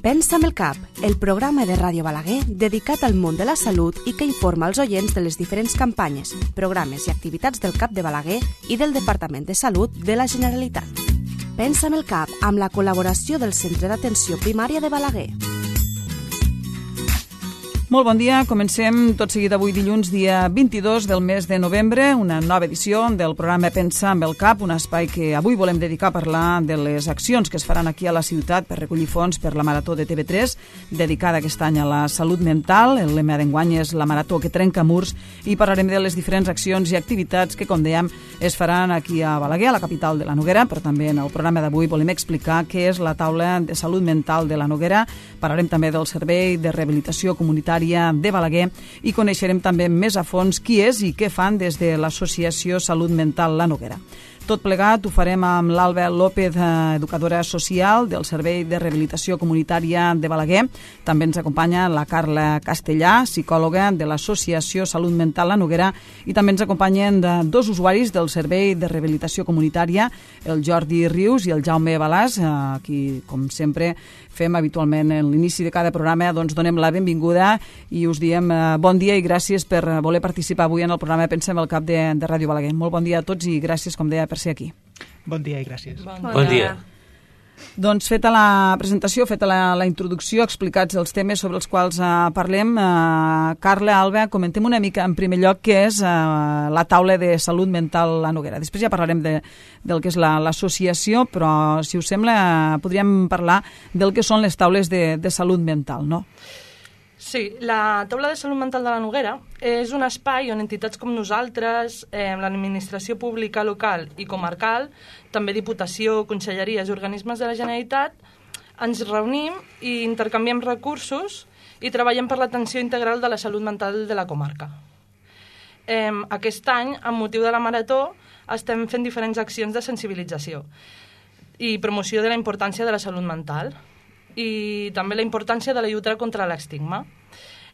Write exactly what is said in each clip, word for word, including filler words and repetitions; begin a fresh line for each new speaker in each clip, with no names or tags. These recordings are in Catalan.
Pensa amb el cap, el programa de Ràdio Balaguer dedicat al món de la salut i que informa els oients de les diferents campanyes, programes i activitats del CAP de Balaguer i del Departament de Salut de la Generalitat. Pensa amb el cap, amb la col·laboració del Centre d'Atenció Primària de Balaguer.
Molt bon dia, comencem tot seguit avui dilluns, dia vint-i-dos del mes de novembre, una nova edició del programa Pensa amb el cap, un espai que avui volem dedicar a parlar de les accions que es faran aquí a la ciutat per recollir fons per la Marató de T V tres, dedicada aquest any a la salut mental. El lema d'enguany és la Marató que trenca murs i parlarem de les diferents accions i activitats que, com dèiem, es faran aquí a Balaguer, a la capital de la Noguera, però també en el programa d'avui volem explicar què és la taula de salut mental de la Noguera. Parlarem també del Servei de Rehabilitació Comunitària de Balaguer i coneixerem també més a fons qui és i què fan des de l'Associació Salut Mental La Noguera. Tot plegat ho farem amb l'Alba López, educadora social del Servei de Rehabilitació Comunitària de Balaguer. També ens acompanya la Carla Castellà, psicòloga de l'Associació Salut Mental La Noguera, i també ens acompanyen dos usuaris del Servei de Rehabilitació Comunitària, el Jordi Rius i el Jaume Balàs, a qui, com sempre, fem habitualment en l'inici de cada programa, doncs donem la benvinguda i us diem bon dia i gràcies per voler participar avui en el programa Pensem el Cap de, de Ràdio Balaguer. Molt bon dia a tots i gràcies, com deia, per ser aquí.
Bon dia i gràcies.
Bon,
bon dia.
Doncs feta la presentació, feta la, la introducció, explicats els temes sobre els quals uh, parlem, uh, Carla, Alba, comentem una mica en primer lloc què és uh, la taula de salut mental La Noguera. Després ja parlarem de, del que és l'associació, la, però si us sembla uh, podríem parlar del que són les taules de, de salut mental, no?
Sí, la taula de salut mental de la Noguera és un espai on entitats com nosaltres, eh, l'administració pública local i comarcal, també Diputació, conselleries i organismes de la Generalitat, ens reunim i intercanviem recursos i treballem per l'atenció integral de la salut mental de la comarca. Eh, aquest any, amb motiu de la Marató, estem fent diferents accions de sensibilització i promoció de la importància de la salut mental i també la importància de la lluita contra l'estigma.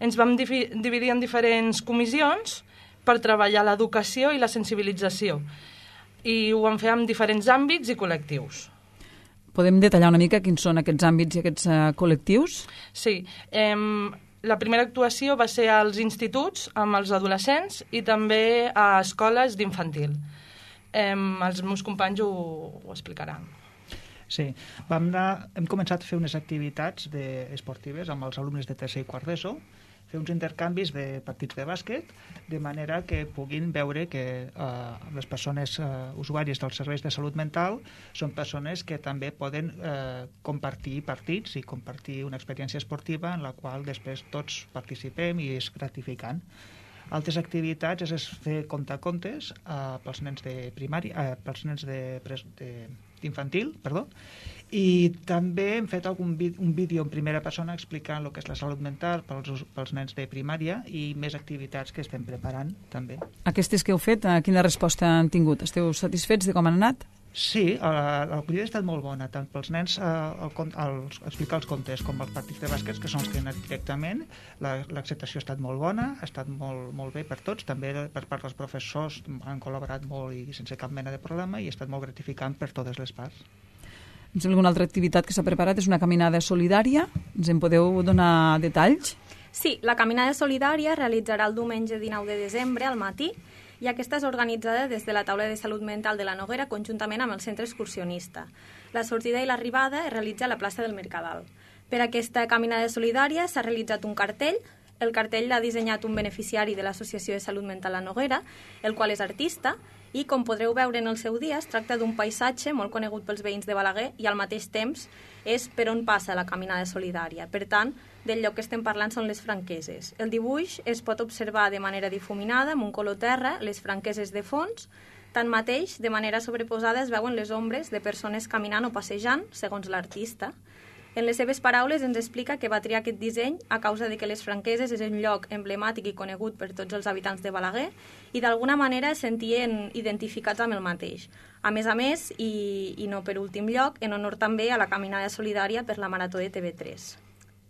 Ens vam dividir en diferents comissions per treballar l'educació i la sensibilització i ho vam fer en diferents àmbits i col·lectius.
Podem detallar una mica quins són aquests àmbits i aquests uh, col·lectius?
Sí, eh, la primera actuació va ser als instituts amb els adolescents i també a escoles d'infantil. Eh, els meus companys ho, ho explicaran.
Sí, vam anar, hem començat a fer unes activitats de, esportives amb els alumnes de tercer i quart d'ESO, fer uns intercanvis de partits de bàsquet, de manera que puguin veure que eh, les persones eh, usuàries dels serveis de salut mental són persones que també poden eh, compartir partits i compartir una experiència esportiva en la qual després tots participem i és gratificant. Altres activitats és fer contacontes eh, pels nens de primària, eh, pels nens de, de infantil, perdó, i també hem fet algun vídeo, un vídeo en primera persona explicant el que és la salut mental pels, pels nens de primària i més activitats que estem preparant també.
Aquestes que heu fet, quina resposta han tingut? Esteu satisfets de com han anat?
Sí, l'acollida ha estat molt bona, tant pels nens eh, el, el, explicar els contes com els partits de bàsquet, que són els que han anat directament. L'acceptació ha estat molt bona, ha estat molt, molt bé per tots, també per part dels professors han col·laborat molt i sense cap mena de problema i ha estat molt gratificant per totes les parts.
Em sembla que una altra activitat que s'ha preparat és una caminada solidària. Ens en podeu donar detalls?
Sí, la caminada solidària es realitzarà el diumenge dinou de desembre al matí i aquesta és organitzada des de la taula de salut mental de la Noguera conjuntament amb el centre excursionista. La sortida i l'arribada es realitza a la plaça del Mercadal. Per aquesta caminada solidària s'ha realitzat un cartell. El cartell l'ha dissenyat un beneficiari de l'Associació de Salut Mental La Noguera, el qual és artista, i com podreu veure en el seu dia es tracta d'un paisatge molt conegut pels veïns de Balaguer i al mateix temps és per on passa la caminada solidària. Per tant, del lloc que estem parlant són les franqueses. El dibuix es pot observar de manera difuminada amb un color terra, les franqueses de fons. Tanmateix, de manera sobreposada es veuen les ombres de persones caminant o passejant, segons l'artista. En les seves paraules ens explica que va triar aquest disseny a causa de que les Franqueses és un lloc emblemàtic i conegut per tots els habitants de Balaguer i d'alguna manera es sentien identificats amb el mateix. A més a més, i, i no per últim lloc, en honor també a la caminada solidària per la Marató de T V tres.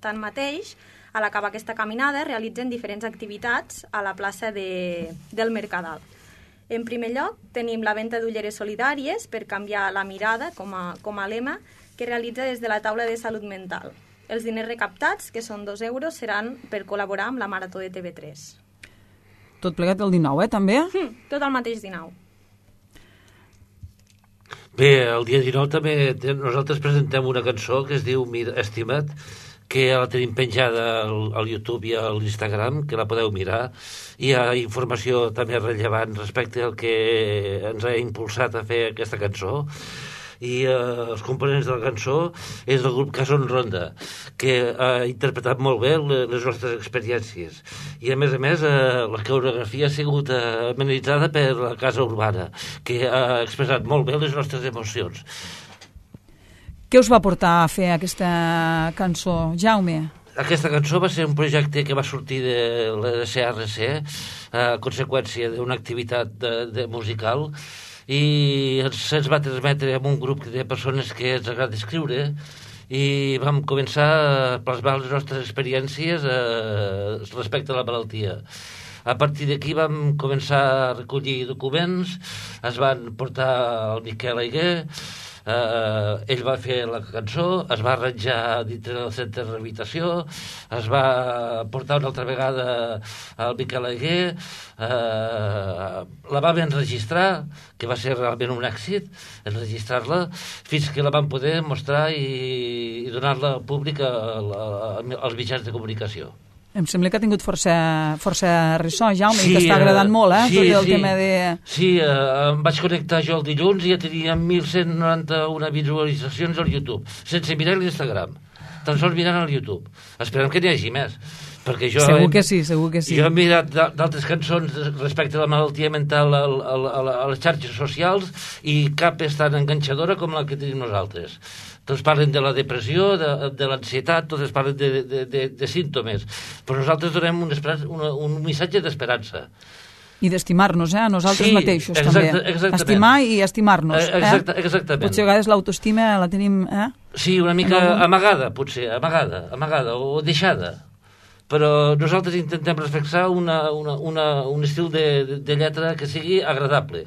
Tanmateix, a l'acabar aquesta caminada realitzen diferents activitats a la plaça de, del Mercadal. En primer lloc, tenim la venda d'ulleres solidàries per canviar la mirada com a, com a lema que realitza des de la taula de salut mental. Els diners recaptats, que són dos euros, seran per col·laborar amb la Marató de T V tres.
Tot plegat el dinou, eh, també?
Mm, tot el mateix dinou.
Bé, el dia dinou també nosaltres presentem una cançó que es diu Estima't, que la tenim penjada al, al YouTube i a l'Instagram, que la podeu mirar. Hi ha informació també rellevant respecte al que ens ha impulsat a fer aquesta cançó. I eh, els components de la cançó és del grup Cason Ronda, que ha interpretat molt bé les nostres experiències. I a més a més eh, la coreografia ha sigut eh, amenitzada per la Casa Urbana, que ha expressat molt bé les nostres emocions.
Què us va portar a fer aquesta cançó, Jaume?
Aquesta cançó va ser un projecte que va sortir de l'E S R C a conseqüència d'una activitat de, de musical, i ens, ens va transmetre amb un grup de persones que ens agrada escriure, i vam començar a plasmar les nostres experiències eh, respecte a la malaltia. A partir d'aquí vam començar a recollir documents, es van portar al Miquel Aiguer, eh, ell va fer la cançó, es va arranjar dintre del centre de rehabilitació, es va portar una altra vegada al Miquel Aiguer, eh, la vam enregistrar, que va ser realment un èxit, enregistrar-la, fins que la vam poder mostrar i, i donar-la al públic a, a, a, als mitjans de comunicació.
Em sembla que ha tingut força, força ressò, Jaume,
sí,
i t'està agradant molt, eh?
Sí,
tot el
sí,
tema de...
Sí, eh, em vaig connectar jo el dilluns i ja tenia mil cent noranta-una visualitzacions al YouTube, sense mirar l'Instagram, tan sols mirant al YouTube. Esperem que n'hi hagi més. Perquè jo
segur
he,
que sí, segur que sí.
Jo he mirat d'altres cançons respecte a la malaltia mental a, a, a, a les xarxes socials i cap és tan enganxadora com la que tenim nosaltres. Tots parlen de la depressió, de, de l'ansietat, tots parlen de, de, de, de símptomes, però nosaltres donem un, una, un missatge d'esperança.
I d'estimar-nos, eh? A nosaltres
sí,
mateixos,
exacte,
també.
Exactament.
Estimar i estimar-nos, eh?
Exacte, exactament.
Potser a vegades l'autoestima la tenim, eh?
Sí, una mica no... amagada, potser, amagada, amagada o deixada. Però nosaltres intentem reflexar una, una, una, un estil de, de, de lletra que sigui agradable,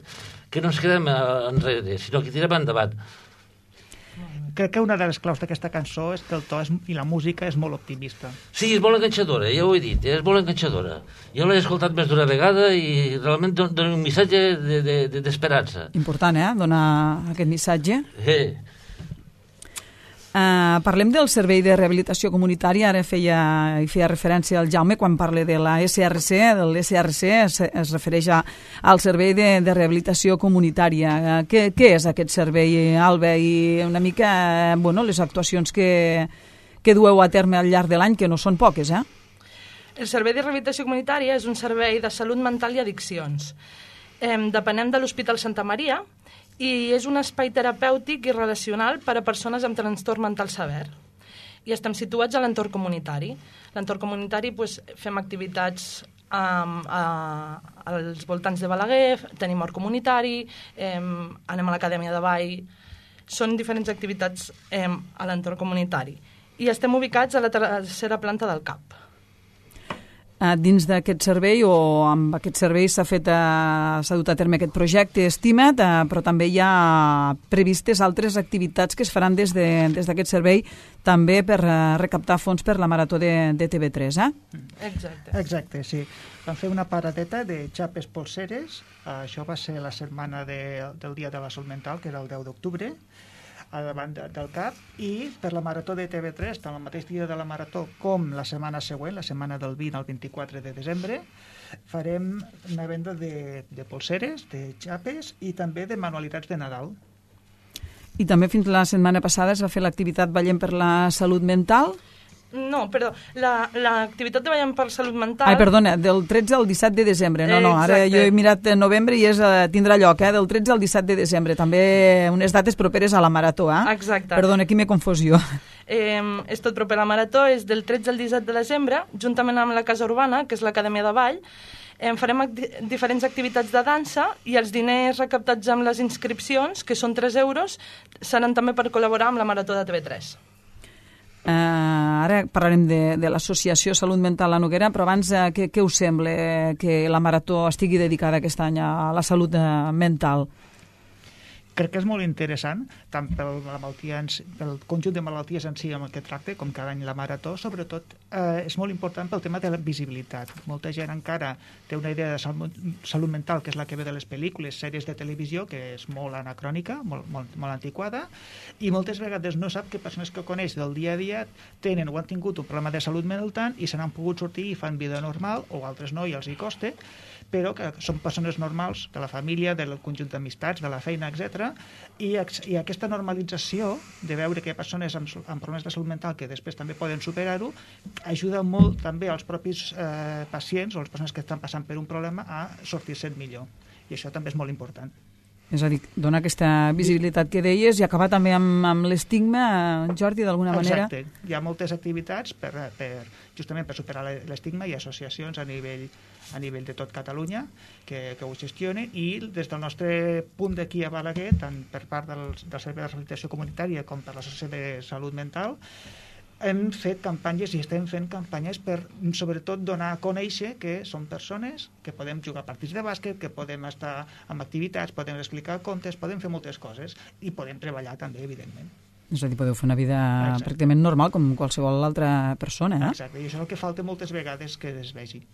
que no ens quedem enrere, sinó que tirem endavant.
Crec que una de les claus d'aquesta cançó és que el to és, i la música és molt optimista.
Sí, és molt enganxadora, ja ho he dit, és molt enganxadora. Jo l'he escoltat més d'una vegada i realment dona un missatge d'esperança. De, de,
important, eh?, donar aquest missatge.
Sí.
Uh, parlem del servei de rehabilitació comunitària. Ara feia, hi feia referència al Jaume quan parla de la S R C, de l'S R C es, es refereix a, al servei de, de rehabilitació comunitària. Uh, què, què és aquest servei, Alba? I una mica, uh, bueno, les actuacions que, que dueu a terme al llarg de l'any, que no són poques, eh?
El servei de rehabilitació comunitària és un servei de salut mental i addiccions. Eh, depenem de l'Hospital Santa Maria, i és un espai terapèutic i relacional per a persones amb trastorn mental sever. I estem situats a l'entorn comunitari. L'entorn comunitari, doncs, fem activitats um, a, als voltants de Balaguer, tenim hort comunitari, um, anem a l'Acadèmia de Ball, són diferents activitats um, a l'entorn comunitari. I estem ubicats a la tercera planta del C A P.
Uh, dins d'aquest servei o amb aquest servei s'ha fet uh, s'ha dut a terme aquest projecte Estima't, uh, però també hi ha previstes altres activitats que es faran des de, des d'aquest servei també per uh, recaptar fons per la Marató de, de T V tres, eh?
Exacte.
Exacte, sí. Vam fer una paradeta de xapes polseres, uh, això va ser la setmana de, del Dia de la Salut Mental, que era el deu d'octubre, a davant del C A P, i per la Marató de T V tres, tant el mateix dia de la Marató com la setmana següent, la setmana del vint al vint-i-quatre de desembre, farem una venda de, de polseres, de xapes i també de manualitats de Nadal.
I també fins la setmana passada es va fer l'activitat Ballem per la Salut Mental.
No, perdó, l'activitat de Ballem per Salut Mental...
Ai, perdona, del tretze al disset de desembre. No, no, ara jo he mirat en novembre i és, tindrà lloc, eh, del tretze al disset de desembre. També unes dates properes a la Marató, eh?
Exacte.
Perdona, aquí m'he confusió.
Eh, és tot proper a la Marató, és del tretze al disset de desembre, juntament amb la Casa Urbana, que és l'Acadèmia de Ball. Eh, farem acti diferents activitats de dansa i els diners recaptats amb les inscripcions, que són tres euros, seran també per col·laborar amb la Marató de T V tres.
Uh, ara parlarem de, de l'Associació Salut Mental La Noguera, però abans uh, què, què us sembla que la Marató estigui dedicada aquest any a la salut uh, mental?
Crec que és molt interessant, tant pel, la malaltia en, pel conjunt de malalties en si amb el que tracta, com cada any la Marató, sobretot eh, és molt important pel tema de la visibilitat. Molta gent encara té una idea de salut, salut mental, que és la que ve de les pel·lícules, sèries de televisió, que és molt anacrònica, molt, molt, molt antiquada, i moltes vegades no sap que persones que coneix del dia a dia tenen o han tingut un problema de salut mental i se n'han pogut sortir i fan vida normal, o altres no, i els hi costa, però que són persones normals de la família, del conjunt d'amistats, de la feina, etcètera. I, i aquesta normalització de veure que hi ha persones amb, amb problemes de salut mental que després també poden superar-ho, ajuda molt també als propis eh, pacients o les persones que estan passant per un problema a sortir-se'n millor. I això també és molt important.
És a dir, dona aquesta visibilitat que deies i acabar també amb, amb l'estigma, Jordi, d'alguna manera.
Exacte. Hi ha moltes activitats per, per, justament per superar l'estigma i associacions a nivell a nivell de tot Catalunya que, que ho gestionen, i des del nostre punt d'aquí a Balaguer, tant per part del, del Servei de Rehabilitació Comunitària com per l'Associació de Salut Mental, hem fet campanyes i estem fent campanyes per, sobretot, donar a conèixer que són persones, que podem jugar partits de bàsquet, que podem estar en activitats, podem explicar contes, podem fer moltes coses i podem treballar també, evidentment.
És a dir, podeu fer una vida
Exacte.
pràcticament normal com qualsevol altra persona, eh?
Exacte, i això és el que falta moltes vegades que es vegi.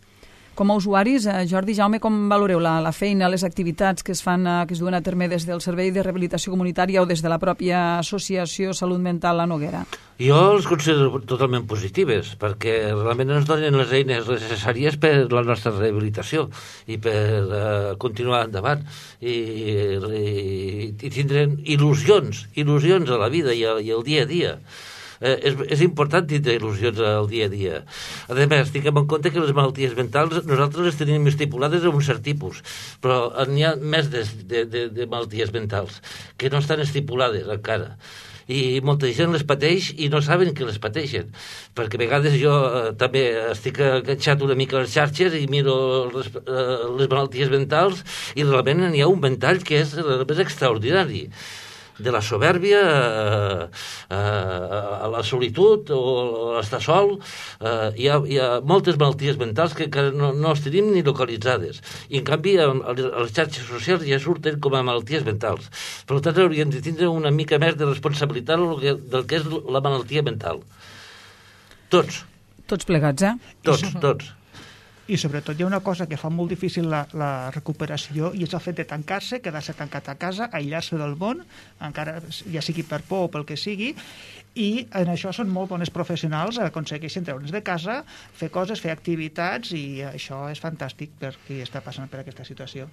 Com a usuaris, eh, Jordi, Jaume, com valoreu la, la feina, les activitats que es fan, eh, que es duen a terme des del Servei de Rehabilitació Comunitària o des de la pròpia Associació Salut Mental La Noguera?
Jo els considero totalment positives, perquè realment ens donen les eines necessàries per la nostra rehabilitació i per uh, continuar endavant i, i, i tindrem il·lusions, il·lusions a la vida i, a, i al dia a dia. Eh, és, és important tindre il·lusions al dia a dia. A més, tinguem en compte que les malalties mentals nosaltres les tenim estipulades en un cert tipus, però n'hi ha més de, de, de, de malalties mentals que no estan estipulades encara. I molta gent les pateix i no saben que les pateixen, perquè a vegades jo eh, també estic enganxat una mica a les xarxes i miro les, eh, les malalties mentals i realment n'hi ha un ventall que és, és extraordinari, de la soberbia a, a, a la solitud o a l'estar sol. Uh, hi, ha, hi ha moltes malalties mentals que encara no, no les tenim ni localitzades, i en canvi a, a les xarxes socials ja surten com a malalties mentals. Per tant, hauríem de tindre una mica més de responsabilitat del que, del que és la malaltia mental. Tots.
Tots plegats, eh?
Tots, tots.
I sobretot hi ha una cosa que fa molt difícil la, la recuperació, i és el fet de tancar-se, quedar-se tancat a casa, aïllar-se del món, encara ja sigui per por o pel que sigui, i en això són molt bones professionals, aconsegueixen treure'ns de casa, fer coses, fer activitats, i això és fantàstic per qui està passant per aquesta situació.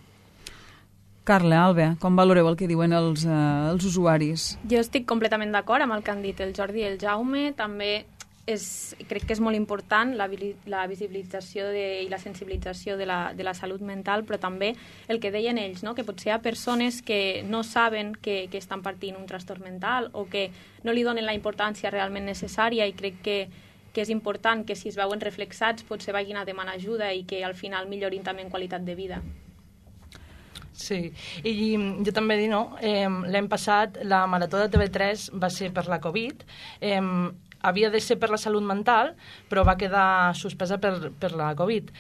Carla, Alba, com valoreu el que diuen els, eh, els usuaris?
Jo estic completament d'acord amb el que han dit el Jordi i el Jaume. També és, crec que és molt important la, la visibilització de, i la sensibilització de la, de la salut mental, però també el que deien ells, no? Que potser hi ha persones que no saben que, que estan patint un trastorn mental o que no li donen la importància realment necessària, i crec que, que és important que si es veuen reflexats potser vagin a demanar ajuda i que al final millorin també en qualitat de vida.
Sí, i jo també dic, no, eh, l'any passat la Marató de T V tres va ser per la Covid, eh, havia de ser per la salut mental, però va quedar suspesa per, per la Covid.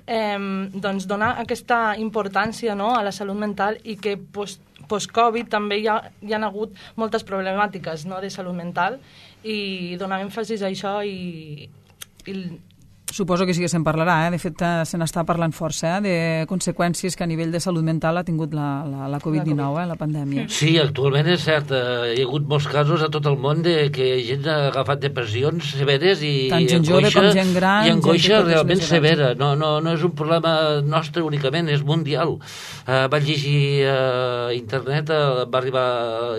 Eh, doncs donar aquesta importància, no, a la salut mental, i que post, post-Covid també hi ha, hi ha hagut moltes problemàtiques, no, de salut mental, i donar èmfasis a això i... i
Suposo que sí que se'n parlarà, eh? De fet, se n'està parlant força, eh? De conseqüències que a nivell de salut mental ha tingut la, la, la covid dinou, eh? La pandèmia.
Sí, actualment és cert, hi ha hagut molts casos a tot el món de que gent ha agafat depressions severes i,
tant gent
angoixa,
jove com gent gran,
i angoixa realment severa.
Edats.
No, no, no és un problema nostre únicament, és mundial. Uh, vaig llegir a uh, internet, uh, va arribar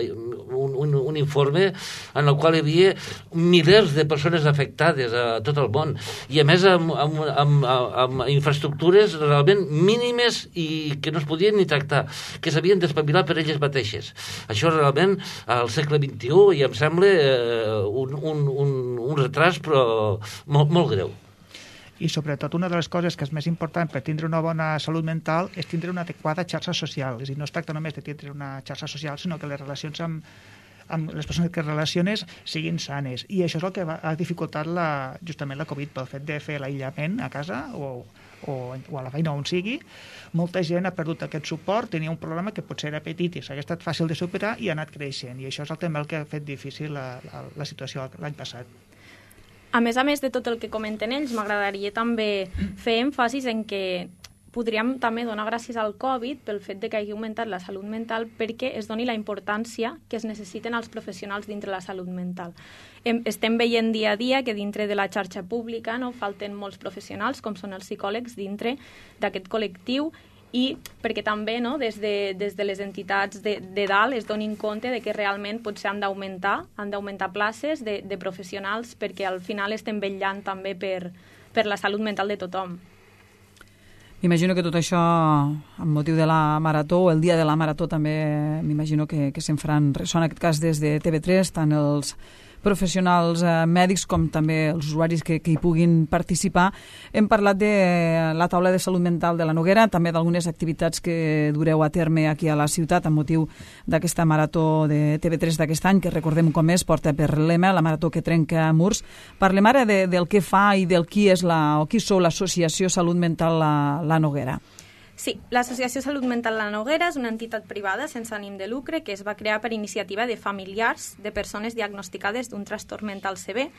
un, un, un informe en el qual hi havia milers de persones afectades a tot el món, i a més amb, amb, amb, amb infraestructures realment mínimes i que no es podien ni tractar, que s'havien d'espavilar per elles mateixes. Això realment al segle vint-i-u i em sembla eh, un, un, un, un retras però molt, molt greu.
I sobretot una de les coses que és més important per tindre una bona salut mental és tindre una adequada xarxa social. És a dir, no es tracta només de tindre una xarxa social, sinó que les relacions amb amb les persones que relaciones siguin sanes, i això és el que va, ha dificultat la, justament la Covid, pel fet de fer l'aïllament a casa o, o, o a la feina on sigui, molta gent ha perdut aquest suport, tenia un problema que potser era petit i s'ha estat fàcil de superar i ha anat creixent, i això és el, també el que ha fet difícil la, la, la situació l'any passat.
A més a més de tot el que comenten ells, m'agradaria també fer èmfasis en que podríem també donar gràcies al Covid pel fet de que hagi augmentat la salut mental, perquè es doni la importància que es necessiten els professionals dintre la salut mental. Estem veient dia a dia que dintre de la xarxa pública no falten molts professionals, com són els psicòlegs, dintre d'aquest col·lectiu, i perquè també no, des, de, des de les entitats de, de dalt es donin compte de que realment potser han d'augmentar han d'augmentar places de, de professionals, perquè al final estem vetllant també per, per la salut mental de tothom.
M'imagino que tot això, amb motiu de la marató, o el dia de la marató també, m'imagino que, que se'n faran ressò, en aquest cas des de T V tres, tant els professionals eh, mèdics com també els usuaris que, que hi puguin participar. Hem parlat de la taula de salut mental de la Noguera, també d'algunes activitats que dureu a terme aquí a la ciutat amb motiu d'aquesta marató de T V tres d'aquest any, que recordem com és, porta per lema la marató que trenca murs. Parlem ara de, del que fa i del qui és la, o qui sou l'Associació Salut Mental la, la Noguera.
Sí, l'Associació Salut Mental La Noguera és una entitat privada sense ànim de lucre que es va crear per iniciativa de familiars de persones diagnosticades d'un trastorn mental sever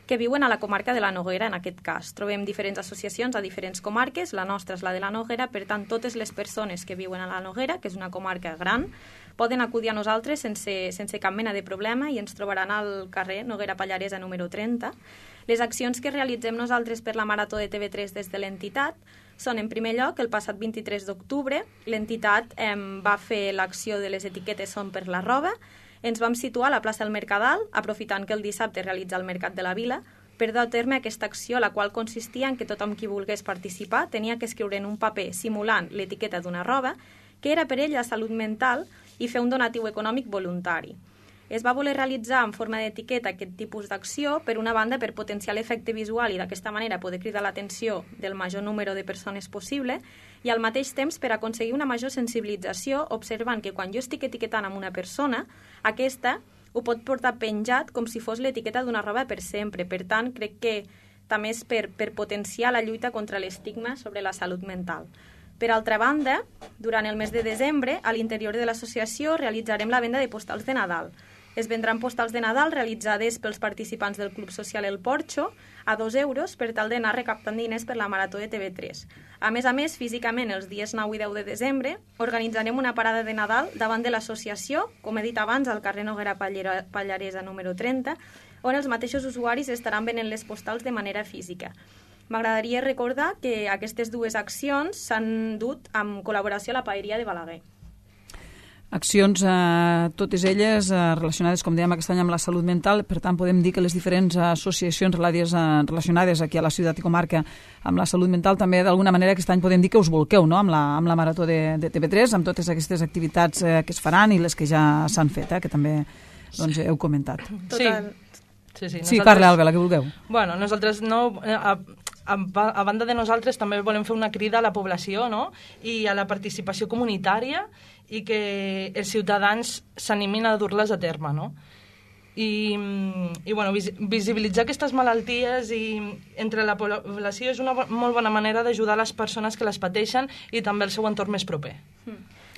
que viuen a la comarca de la Noguera, en aquest cas. Trobem diferents associacions a diferents comarques, la nostra és la de la Noguera, per tant, totes les persones que viuen a la Noguera, que és una comarca gran, poden acudir a nosaltres sense, sense cap mena de problema i ens trobaran al carrer Noguera Pallaresa número trenta. Les accions que realitzem nosaltres per la Marató de T V tres des de l'entitat són, en primer lloc, el passat vint-i-tres d'octubre, l'entitat eh, va fer l'acció de les etiquetes Són per la roba. Ens vam situar a la plaça del Mercadal, aprofitant que el dissabte realitza el Mercat de la Vila, per dur a terme aquesta acció, la qual consistia en que tothom qui volgués participar tenia que escriure en un paper simulant l'etiqueta d'una roba, que era per ell la salut mental, i fer un donatiu econòmic voluntari. Es va voler realitzar en forma d'etiqueta aquest tipus d'acció, per una banda per potenciar l'efecte visual i d'aquesta manera poder cridar l'atenció del major número de persones possible, i al mateix temps per aconseguir una major sensibilització, observant que quan jo estic etiquetant amb una persona, aquesta ho pot portar penjat com si fos l'etiqueta d'una roba per sempre. Per tant, crec que també és per, per potenciar la lluita contra l'estigma sobre la salut mental. Per altra banda, durant el mes de desembre, a l'interior de l'associació realitzarem la venda de postals de Nadal. Es vendran postals de Nadal realitzades pels participants del Club Social El Porxo a dos euros per tal d'anar recaptant diners per la Marató de T V tres. A més a més, físicament, els dies nou i deu de desembre, organitzarem una parada de Nadal davant de l'associació, com he dit abans, al carrer Noguera Pallaresa número trenta, on els mateixos usuaris estaran venent les postals de manera física. M'agradaria recordar que aquestes dues accions s'han dut amb col·laboració a la Paeria de Balaguer.
Accions, eh, totes elles eh, relacionades, com dèiem, aquest any amb la salut mental. Per tant, podem dir que les diferents associacions relacionades aquí a la ciutat i comarca amb la salut mental també, d'alguna manera, aquest any podem dir que us volqueu, no?, amb la, amb la Marató de, de T V tres, amb totes aquestes activitats eh, que es faran i les que ja s'han fet, eh, que també doncs, heu comentat.
Total. Sí, sí,
sí, parla, Alba, la que vulgueu.
Bueno, nosaltres no... A, a, a banda de nosaltres també volem fer una crida a la població, no?, i a la participació comunitària, i que els ciutadans s'animin a dur-les a terme, no? I, i bueno, visibilitzar aquestes malalties i entre la població és una molt bona manera d'ajudar les persones que les pateixen i també el seu entorn més proper.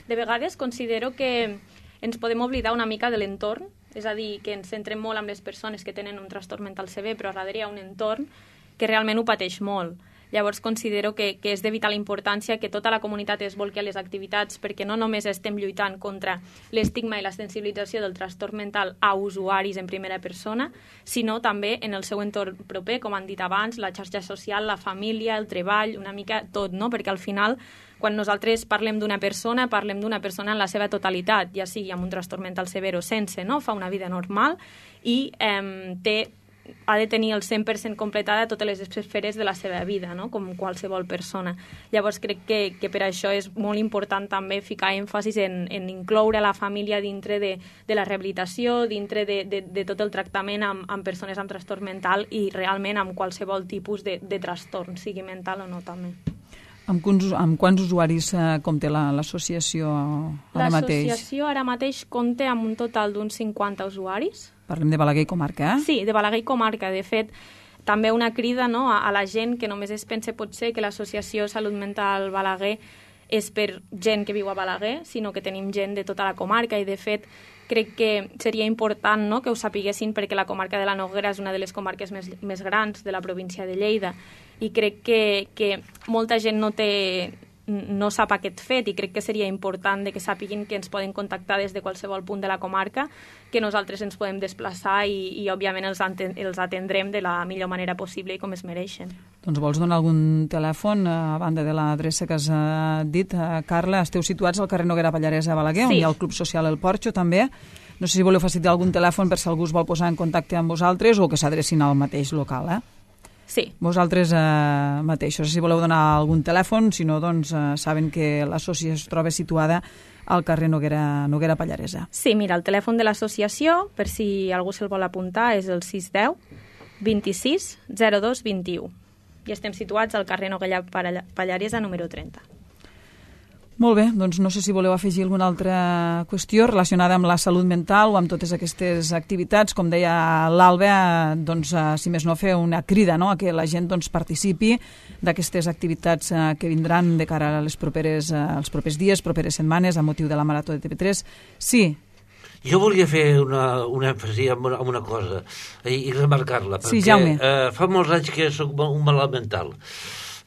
De vegades considero que ens podem oblidar una mica de l'entorn, és a dir, que ens centrem molt en les persones que tenen un trastorn mental sever, però darrere hi ha un entorn que realment ho pateix molt. Llavors considero que, que és de vital importància que tota la comunitat es volqui a les activitats, perquè no només estem lluitant contra l'estigma i la sensibilització del trastorn mental a usuaris en primera persona, sinó també en el seu entorn proper, com han dit abans, la xarxa social, la família, el treball, una mica tot, no? Perquè al final, quan nosaltres parlem d'una persona, parlem d'una persona en la seva totalitat, ja sigui amb un trastorn mental sever o sense, no? Fa una vida normal i eh, té ha de tenir el cent per cent completada totes les esferes de la seva vida, no?, com qualsevol persona. Llavors crec que, que per això és molt important també ficar èmfasis en, en incloure la família dintre de, de la rehabilitació, dintre de, de, de tot el tractament amb, amb persones amb trastorn mental i realment amb qualsevol tipus de, de trastorn, sigui mental o no també.
Amb quants, amb quants usuaris eh, compta l'associació ara mateix?
L'associació ara mateix compta amb un total d'uns cinquanta usuaris.
Parlem de Balaguer i comarca, eh?
Sí, de Balaguer i comarca. De fet, també una crida, no?, a, a la gent que només es pense potser que l'Associació Salut Mental Balaguer és per gent que viu a Balaguer, sinó que tenim gent de tota la comarca i, de fet, crec que seria important, no?, que ho sapiguessin, perquè la comarca de la Noguera és una de les comarques més, més grans de la província de Lleida i crec que, que molta gent no té... no sap aquest fet i crec que seria important de que sàpiguin que ens poden contactar des de qualsevol punt de la comarca, que nosaltres ens podem desplaçar i, i òbviament els, els atendrem de la millor manera possible i com es mereixen.
Doncs vols donar algun telèfon a banda de l'adreça que has dit, Carla? Esteu situats al carrer Noguera Pallaresa a Balaguer, sí, on hi ha el Club Social El Porxo també. No sé si voleu facilitar algun telèfon per si algú es vol posar en contacte amb vosaltres o que s'adrecin al mateix local, eh?
Sí.
Vosaltres eh, mateixos, si voleu donar algun telèfon, si no, doncs eh, saben que l'associació es troba situada al carrer Noguera, Noguera Pallaresa.
Sí, mira, el telèfon de l'associació, per si algú se'l vol apuntar, és el sis deu vint-i-sis zero dos vint-i-u i estem situats al carrer Noguera Pallaresa número trenta.
Molt bé, doncs no sé si voleu afegir alguna altra qüestió relacionada amb la salut mental o amb totes aquestes activitats. Com deia l'Alba, doncs, si més no, fer una crida, no?, a que la gent doncs, participi d'aquestes activitats eh, que vindran de cara a les properes, eh, als propers dies, properes setmanes, a motiu de la Marató de T V tres. Sí.
Jo volia fer una, una èmfasi en una, en una cosa i, i remarcar-la, perquè
sí, Jaume.
eh, fa molts anys que soc un malalt mental,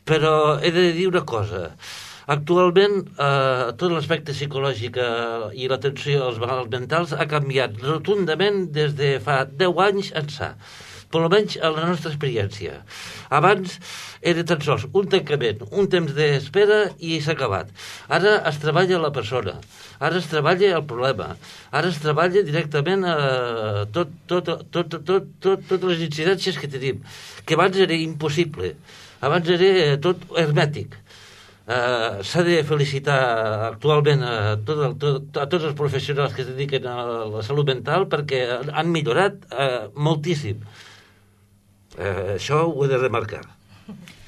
però he de dir una cosa. Actualment, eh, tot l'aspecte psicològic eh, i l'atenció als malalts mentals ha canviat rotundament des de fa deu anys ençà, per almenys en la nostra experiència. Abans era tan sols un tancament, un temps d'espera i s'ha acabat. Ara es treballa la persona, ara es treballa el problema, ara es treballa directament eh, tot, tot, tot, tot, tot, totes les incidències que tenim, que abans era impossible, abans era tot hermètic. Uh, s'ha de felicitar actualment a, tot el, tot, a tots els professionals que es dediquen a la salut mental perquè han millorat uh, moltíssim. Uh, això ho he de remarcar.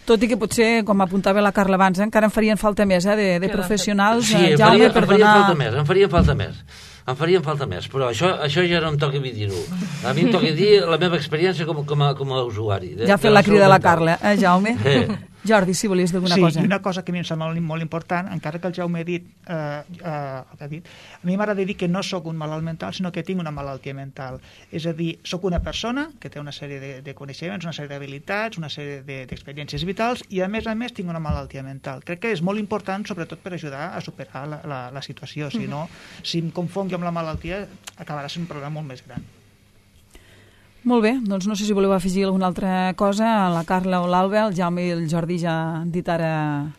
Tot i que potser, com apuntava la Carla abans, eh, encara en farien falta més eh, de, de professionals.
Sí,
eh,
em
Jaume,
farien,
per
em farien
donar...
falta més, em farien falta més. Em farien falta més, però això, això ja no em toca a mi dir-ho. A mi em toca dir la meva experiència com, com, a, com a usuari. De,
ja ha fet la crida a la Carla, eh, Jaume? Eh. Jordi, si volies dir alguna
sí,
cosa.
Sí, i una cosa que a mi em sembla molt, molt important, encara que el Jaume ha dit, eh, eh, ha dit a mi m'agrada dir que no sóc un malalt mental, sinó que tinc una malaltia mental. És a dir, sóc una persona que té una sèrie de, de coneixements, una sèrie d'habilitats, una sèrie d'experiències de, vitals, i a més a més tinc una malaltia mental. Crec que és molt important, sobretot per ajudar a superar la, la, la situació. Si no, si em confonc amb la malaltia, acabarà sent un problema molt més gran.
Molt bé, doncs no sé si voleu afegir alguna altra cosa. La Carla o l'Alba, el Jaume i el Jordi ja han dit ara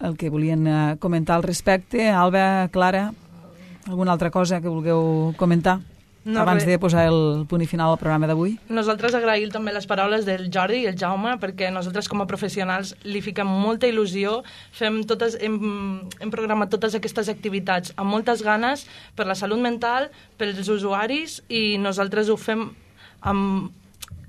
el que volien comentar al respecte. Alba, Clara, alguna altra cosa que vulgueu comentar no, abans res. de posar el punt i final al programa d'avui?
Nosaltres agraïm també les paraules del Jordi i el Jaume, perquè nosaltres com a professionals li fiquem molta il·lusió, fem totes, hem, hem programat totes aquestes activitats amb moltes ganes per la salut mental, pels usuaris, i nosaltres ho fem amb...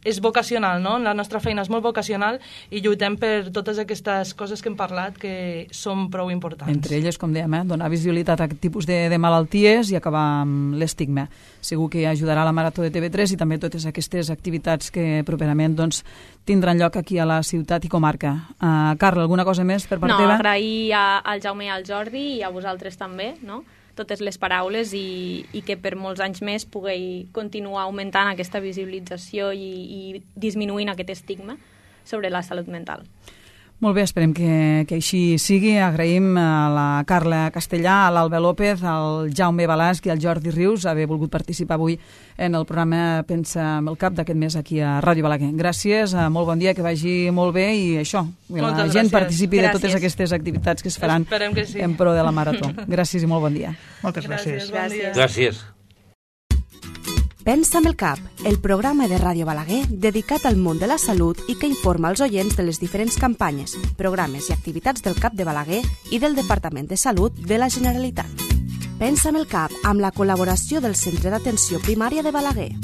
és vocacional, no? La nostra feina és molt vocacional i lluitem per totes aquestes coses que hem parlat que són prou importants.
Entre elles, com dèiem, eh? donar visibilitat a aquest tipus de, de malalties i acabar amb l'estigma. Segur que ajudarà la Marató de T V tres i també totes aquestes activitats que properament doncs, tindran lloc aquí a la ciutat i comarca. Uh, Carla, alguna cosa més per part
no,
teva?
No, agrair a, al Jaume i al Jordi i a vosaltres també, no?, totes les paraules i, i que per molts anys més pugueu continuar augmentant aquesta visibilització i, i disminuint aquest estigma sobre la salut mental.
Molt bé, esperem que, que així sigui. Agraïm a la Carla Castellà, a l'Alba López, al Jaume Balasc i al Jordi Rius haver volgut participar avui en el programa Pensa amb el Cap d'aquest mes aquí a Ràdio Balaguer. Gràcies, molt bon dia, que vagi molt bé i això, que la gent gràcies. participi gràcies. de totes aquestes activitats que es faran
que sí.
en pro de la Marató. Gràcies i molt bon dia.
Moltes gràcies.
Gràcies. Bon dia.
Gràcies.
Pensa amb el Cap, el programa de Ràdio Balaguer dedicat al món de la salut i que informa els oients de les diferents campanyes, programes i activitats del Cap de Balaguer i del Departament de Salut de la Generalitat. Pensa amb el Cap, amb la col·laboració del Centre d'Atenció Primària de Balaguer.